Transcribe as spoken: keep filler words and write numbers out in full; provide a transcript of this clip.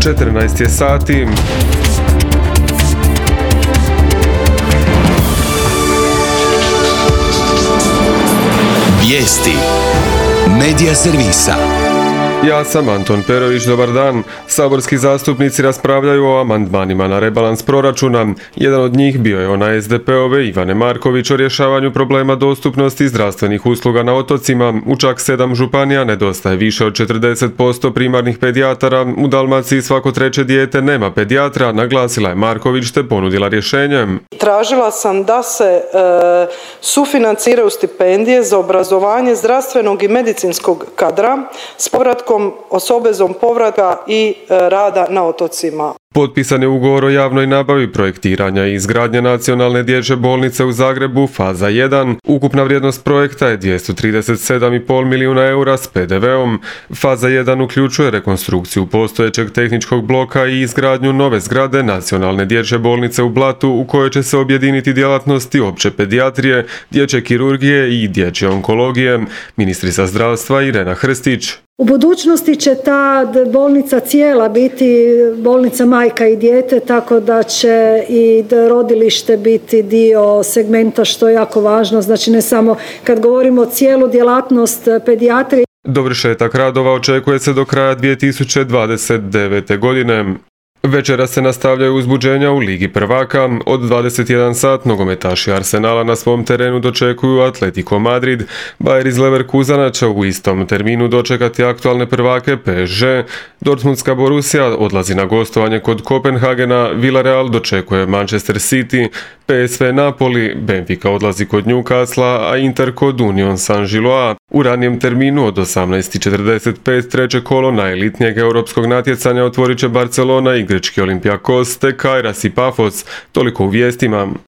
četrnaest je sati. Vijesti Medija servisa. Ja sam Anton Perović, dobar dan. Saborski zastupnici raspravljaju o amandmanima na rebalans proračuna. Jedan od njih bio je ona es de pe ove Ivane Marković o rješavanju problema dostupnosti zdravstvenih usluga na otocima. U čak sedam županija nedostaje više od četrdeset posto primarnih pedijatara. U Dalmaciji svako treće dijete nema pedijatra, naglasila je Marković te ponudila rješenje. Tražila sam da se e, sufinanciraju stipendije za obrazovanje zdravstvenog i medicinskog kadra s povratkom s obvezom povratka i e, rada na otocima. Potpisan je ugovor o javnoj nabavi projektiranja i izgradnje nacionalne dječje bolnice u Zagrebu, faza jedan. Ukupna vrijednost projekta je dvjesto trideset sedam i pol milijuna eura s pe de veom. Faza jedan uključuje rekonstrukciju postojećeg tehničkog bloka i izgradnju nove zgrade nacionalne dječje bolnice u Blatu u kojoj će se objediniti djelatnosti opće pedijatrije, dječje kirurgije i dječje onkologije. Ministrica zdravstva Irena Hrstić. U budućnosti će ta bolnica cijela biti bolnica majka i dijete, tako da će i rodilište biti dio segmenta, što je jako važno. Znači ne samo kad govorimo o cijelu djelatnost pedijatrije. Dovršetak radova očekuje se do kraja dvije tisuće dvadeset devete. godine. Večera se nastavljaju uzbuđenja u Ligi prvaka. Od dvadeset jedan sat nogometaši Arsenala na svom terenu dočekuju Atletico Madrid. Bayer iz Leverkusena će u istom terminu dočekati aktualne prvake pe es že. Dortmundska Borussia odlazi na gostovanje kod Kopenhagena, Villarreal dočekuje Manchester City, pe es ve Napoli, Benfica odlazi kod Newcastle, a Inter kod Union Saint-Gilloise. U ranijem terminu od osamnaest i četrdeset pet treće kolo najelitnijeg europskog natjecanja otvorit će Barcelona i grčki Olympiakos te Kairas i Pafos. Toliko u vijestima.